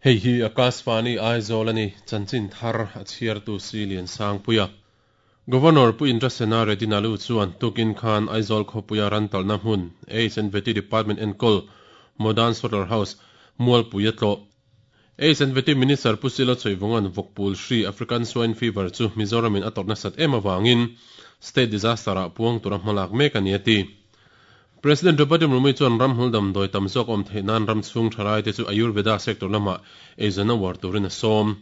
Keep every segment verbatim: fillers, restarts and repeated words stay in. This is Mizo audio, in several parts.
Hei hi Akashvani Aizawl ani chanchin thar a chhiartu si lian sang puia. Governor Pu Indrasena Reddy Nalu chuan tukin khan Aizawl khawpuia ran talna hmun H and Vety Department enkawl Modern Slaughter House Mualpui a tlawh. H and Vety Minister Pu Silo Choivungan Vawkpul hri African Swine Fever chu Mizoramin a tawrhna sat em awangin state disaster ah puang tura hmalak mek ani a ti. President Draupadi Murmu chuan ramhmul damdawi tam zawk awm theih nan ram chhung thalai te chu Ayurveda sector lama eizawn a uar turin a sawm.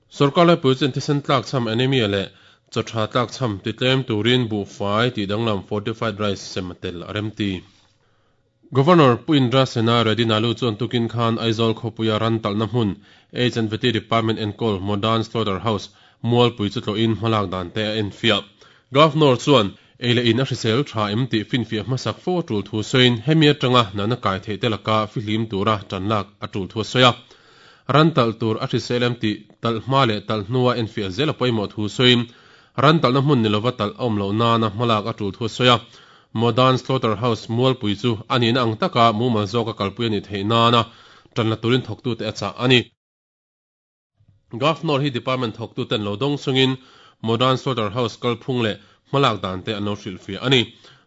Sorkar laipui chuan thisen tlak cham anemia leh chaw tha tlak cham ti tlem turin buhfai tih danglam fortified rice sem a tel a rem ti. Governor Pu Indrasena Reddy Nalu chuan tukin khan Aizawl khawpuia ran talna hmun H and Vety Department enkawl Modern Slaughter House Mualpui chu tlawhin hmalak dan te a enfiah. Governor chuan ei leh in a hrisel tha em tih finfiah hmasak fo a tul thu sawiin hemi atanga nana kai theih te laka fihlim tura tanlak a tul thu a sawi a. Ran talh tur a hrisel em tih talh hma leh talh hnua enfiah zel a pawimawh thu sawiin ran talhna hmun ni lova talh a awm loh nana hmalak a tul thu a sawi a. Modern Slaughter House Mualpui chu a nihna ang taka mumal zawka kalpui a nih theih nana tan la turin thawktute a chah a ni. Governor hi department thawktuten lo dawng chungin Modern Slaughter House kalphung leh hmalak dan te an lo hrilhfiah a ni.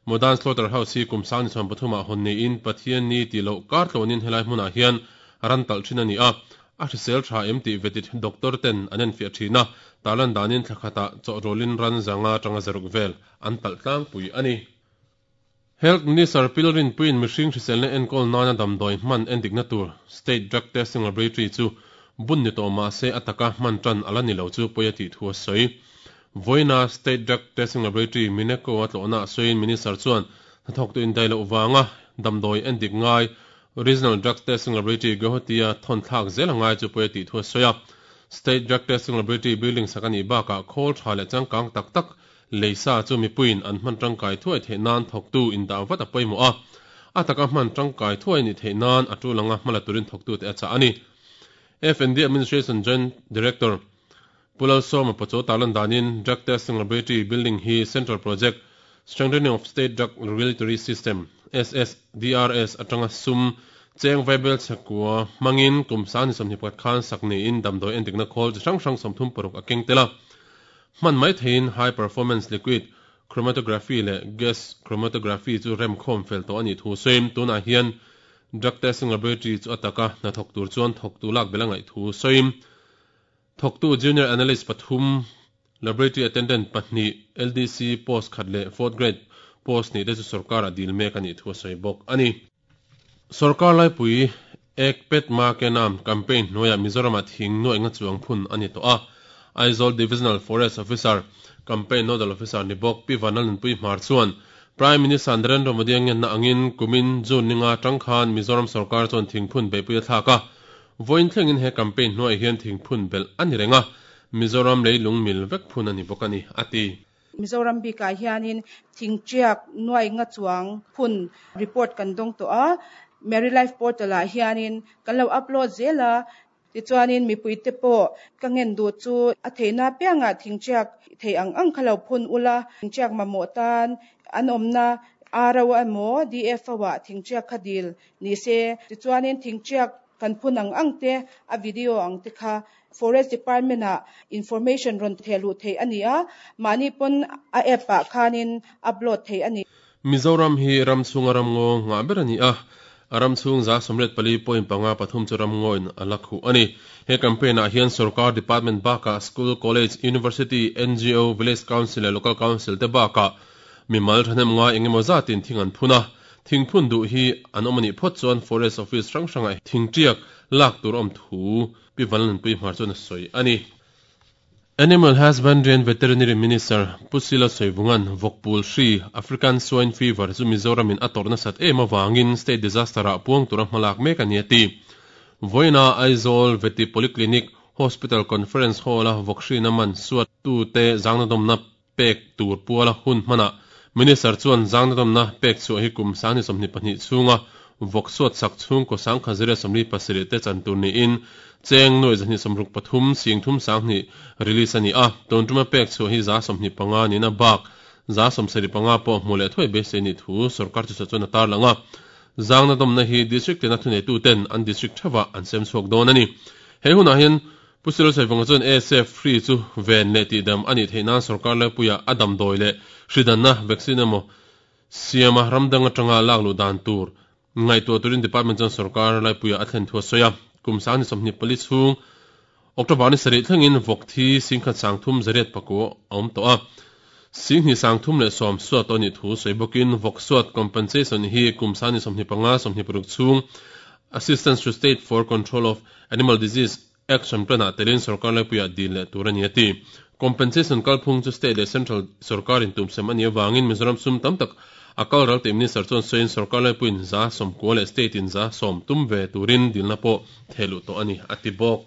Modern Slaughter House hi kum sang ni chuan pathumah hawn niin Pathian ni tih loh kar tlawnin helai hmunah hian ran talh thin a ni a. A hrisel tha em tih vetit doctor ten an enfiah thin a, tarlan danin thla khatah chawhrawlin ran zanga tanga zaruk vel an talh tlangpui a ni. Health Minister Pilrin Puiin mihring hriselna enkawl nana damdawi hman endikna tur State Drug Testing Laboratory chu bun ni tawh mah se a taka hman tan ala ni lo chu pawi a tih thu a sawi. Vawiina State Drug Testing Laboratory Mineco a tlawhna a sawiin Minister chuan hnathawktu indai loh vanga damdawi endik ngai Regional Drug Testing Laboratory Guwahati a thawn thlak zel a ngai chu pawi a tih thu a sawi a. State Drug Testing Laboratory building sak a nih bakah khawl tha leh changkang tak tak leisa chu mipuiin an hman tangkai thuai theih nan thawktu indah vat a pawimawh a. A taka hman tangkai thuai ni theih nan a tul anga hmala turin thawktute a chah a ni. F and D Administration Joint Director Pu Lalsawma Pachaw tarlan danin Drug Testing Laboratory building hi Central Project Strengthening of State Drug Regulatory System, S S D R S, atanga sum cheng vaibel chhekua hmangin kum sang ni sawmhnih pakhat khan sak niin damdawi endikna khawl chi hrang hrang sawmthum paruk a keng tel a. Hman mai theiin high performance liquid chromatography leh gas chromatography chu rem khawm fel tawh a nih thu sawiin tunah hian Drug Testing Laboratory chu a taka hnathawk tur chuan thawktu lak bel a ngaih thu sawiin thawktu Junior Analyst pathum, Laboratory Attendant pahnih, L D C post khat leh fourth grade post hnih te chu sarkar a dil mek a nih thu a sawi bawk a ni. Sarkar laipui Ek Ped Maa Ke Naam campaign hnuaiah Mizoramah thing nuaih nga chuang phun a ni tawh a. Aizawl Divisional Forest Officer, Campaign Nodal Officer ni bawk Pi Vanlalnunpui Hmar chuan Prime Minister Narendra Modi a ngenna angin kumin June ninga tang khan Mizoram sarkar chuan thingphun beihpui a thlak a. Vawiin thlengin he campaign hnuaiah hian thingphun belh a ni reng a, Mizoram leilung mil vek phun a ni bawk a ni, a ti. Mizoram bikah hianin thingtiak nuai nga chuang phun report kan dawng tawh a, Meri Life Portal ah hianin kan lo upload zel a, tichuanin mipui te pawh ka ngen duh chu a theihna piangah thingtiak thei ang ang kha lo phun ula, thingtiak mamawh tan an awmna R O emaw D F O ah thingtiak kha dil ni se, tichuanin thingtiak kan phun ang ang te a video ang te kha Forest Department ah information rawn thehluh theih a ni a, mahni pawn a app ah khanin upload theih a ni. Mizoram hi ram chhunga ram ngaw ngah ber a ni a, a ram chhung za sawmriat pali point panga pathum chu ram ngawin a la khuh a ni. He campaign ah hian sarkar department bakah school, college, university, N G O, village council leh local council te bakah mimal thahnem ngai engemaw zatin thing an phun a. Thing phun duh hi an awm a nih phawt chuan forest office hrang hrangah thingtiak lak tur awm thu Pi Vanlalnunpui Hmar chuan a sawi a ni. Animal Husbandry and Veterinary Minister Pu Sila Soivungan Vawkpul hri African Swine Fever chu Mizoramin a tawrhna sat em awangin state disaster ah puang tura hmalak mek a ni a ti. Vawiina Aizawl Vety Polyclinic Hospital Conference Hall a vawk hrina man suat tute zangnadawmna pek tur puala hun hmanah Minister chuan zangnadawmna pek chhuah hi kum sang ni sawmhnih pahnih chhunga vawk suat sak chhung kaw sang kha zira sawmli pasarih te chan tur niin cheng nuai zahnih sawmruk pathum sing thum sanghnih release a ni a, tun tuma pek chhuah hi za sawmhnih panga nina bak za sawmsarih panga pawh hmu leh thuai beisei nih thu sarkar chu chuan a tarlang a. Zangna domna hi district tena thunei tu ten an district thawa an sem chhuak dawn ani. He hunah hian Pu C L Saivunga chuan A S F hri chu ven leh tihdam ani theihnan sarkar laipuia a damdawi leh hridanna vaccine emaw siama ramdang atanga lak luh dan tur ngaihtuah turin department chuan sarkar laipuia a thlen thu a sawi a. Kum sang ni sawmhnih pali chhung October ni sarih thlengin vawk thi singkhat sang thum zariat pakua a awm tawh a. Singhnih sang thum leh sawm suat ani thu sawi bawkin vawk suat compensation hi kum sang ni sawmhnih panga sawmhnih paruk chhung Assistance to State for Control of Animal Disease Action Plan ah telin sarkar laipuia dil leh tur ani a ti. Compensation kalphung chu state leh central sarkarin tumsem ani awangin Mizoram sum tam tak a kalral te minister chuan sawiin sarkar laipuiin za sawmkua leh state in za sawm tum ve turin dilna pawh thehluh tawh ani a ti bawk.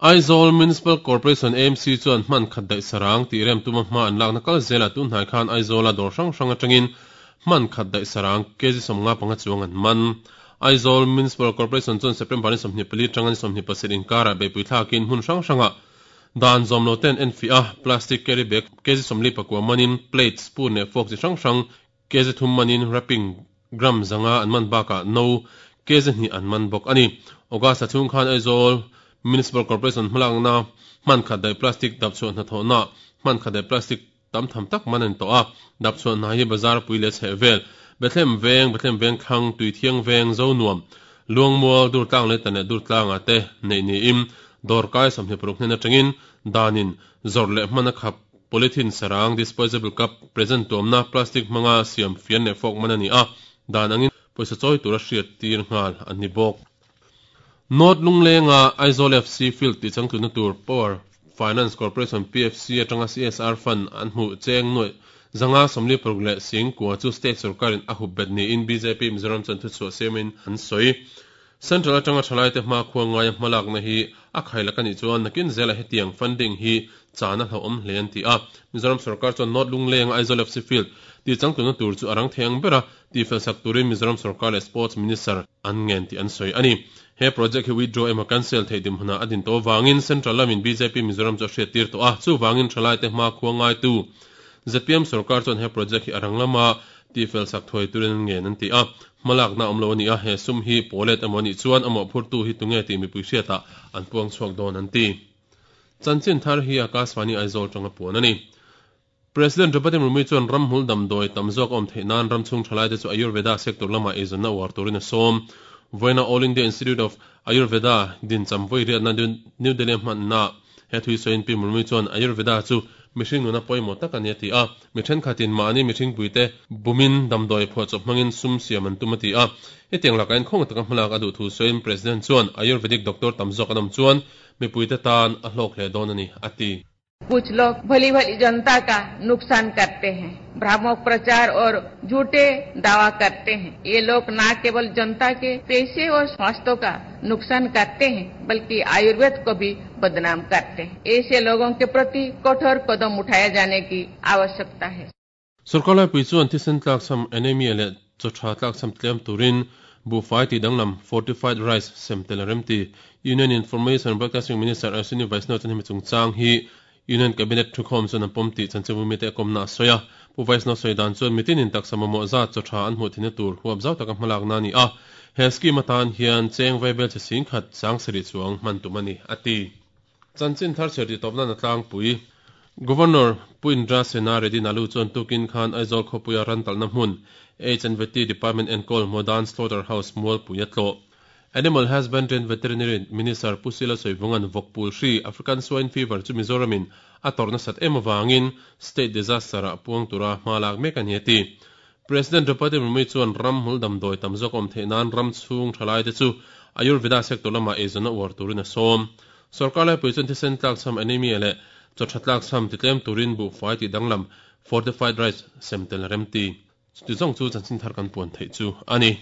Aizawl Municipal Corporation A M C chuan hman khat daih sarang tih rem tuma hma an lakna kal zela tun hnai khan Aizawla dawr hrang hrang atangin hman khat daih sarang kg sawmnga panga chuang an man. Aizawl Municipal Corporation chuan September ni sawmhnih pali tanga ni sawmhnih pasarih inkara beipui thlakin hmun hrang hranga dan zawm lo ten en fi a plastic carry bag kg sawmli pakua manin plate spoon leh fork chi hrang hrang kg thum manin wrapping gram zanga an man bakah no kg hnih an man bawk ani. August chhung khan Aizawl Municipal Corporation hmalakna hman khat daih plastic dap chhuah hnathawhna hman khat daih plastic tam tham tak man an tawh a. Dap chhuah hna hi bazar pui leh chheh vel Bethlehem veng Bethlehem veng thlang tui thiang veng zo nuam luangmual dur tlang leh tan leh dur tlanga te nei ni im dawr kai sawmhnih paruk hnen atangin danin zawr leh hman a khap polythene sarang disposable cup present tuamna plastic hmanga siam fian leh fork man ani a. Dan angin pawisa chawi tura hriat tir nghal an ni bawk. North Lunglenga Aizawl F C Field ti changtluna tur Power Finance Corporation P F C atanga C S R Fund an hmu cheng nuai zanga sawmli paruk leh singkua chu state sarkarin a hup bet niin B J P Mizoram chuan thu chhuah siamin an sawi. Central atanga thalai te hma khuang ngaia hmalakna hi a khailak ani chuan nakin zela hetiang funding hi chana hlauhawm hle an ti a. Mizoram sarkar chuan North Lunglenga Aizawl F C Field ti changtluna tur chu arang theng bera ti felsak turin Mizoram sarkar leh Sports Minister an ngen ti an sawi ani. He project hi withdraw emaw cancel thei dim huna adin to wangin central lamin B J P Mizoram chu hriat tir to a chu wangin thalai te hma khuang ngai tu Z P M sarkar chuan he project hi arang lama ti felsak thoi turin ngen an ti a. Hmalak na awm lo ani a he sum hi polet emaw ni chuan amaw phurtu hi tunge ti mipui hriata an puang chhuak dawn an ti. Chanchin thar hi Akashvani Aizawl tanga puan ani. President Draupadi Murmu chuan ramhmul damdawi tam zawk awm theih nan ramchhung thalai te chu Ayurveda sector lama eizawnna uar turin a sawm. Voina All India Institute of Ayurveda din chamvoi riatna New Delhi hmanna he thui sawiin Pi Murmu chuan Ayurveda chu mihring nuna pawimawh tak ani a ti a. Mi thenkhatin mahni mihring puite bumin damdawi phuah chawp hmangin sum siam an tum a ti a. Hetiang laka in khawng taka hmalak a duh thu sawiin President chuan Ayurvedic doctor tam zawk an awm chuan mipuite tan a hlawk hle dawn ani a ti. कुछ लोग भली भली जनता का नुकसान करते हैं, भ्रामक प्रचार और झूठे दावा करते हैं। ये लोग न केवल जनता के पैसे और स्वास्थ्य का नुकसान करते हैं बल्कि आयुर्वेद को भी बदनाम करते हैं। ऐसे लोगों के प्रति कठोर कदम उठाए जाने की आवश्यकता है। सरकार laipui chuan thisen tlak cham anemia leh chawtha tlak cham tlem turin buhfai ti danglam fortified rice sem tel remti. Union Information Broadcasting Minister Ashwini Vaishnaw chuan hemi chungchang hi Union Cabinet thukhawm chuan an pawm tih chanchinbu mite a kawmna a sawi a. Pu Vaishnaw sawi dan chuan mitinin taksa mamawh zat chawtha an hmuh thina tur huap zau taka hmalak na ani a. He scheme atan hian cheng vaibel che sing khat sang sarih chuang hman tum ani a ti. Chanchin thar chher ti tawpna na tlangpui Governor Pu Indra Sena Reddy Nalu chuan tukin khan Aizawl khawpuia ran talna hmun H and V T Department enkawl Modern Slaughter House mualpui a tlawh. Animal Husbandry and Veterinary Minister Pu C L Saivungan vawkpul hri African Swine Fever chu Mizoramin a tawrhna sat em awangin state disaster a puang tura hmalak mek ani a ti. President Draupadi Murmu chuan ramhmul damdawi tam zawk awm theih nan ramchhung thalai te chu Ayurveda sector lama eizawnna uar turin a sawm. Sarkar laipui chuan thisen tlak cham anemia leh chawtha tlak cham ti tlem turin buhfai ti danglam fortified rice sem tel remti. Ti zawng chu chanchin thar kan puan theih chu ani.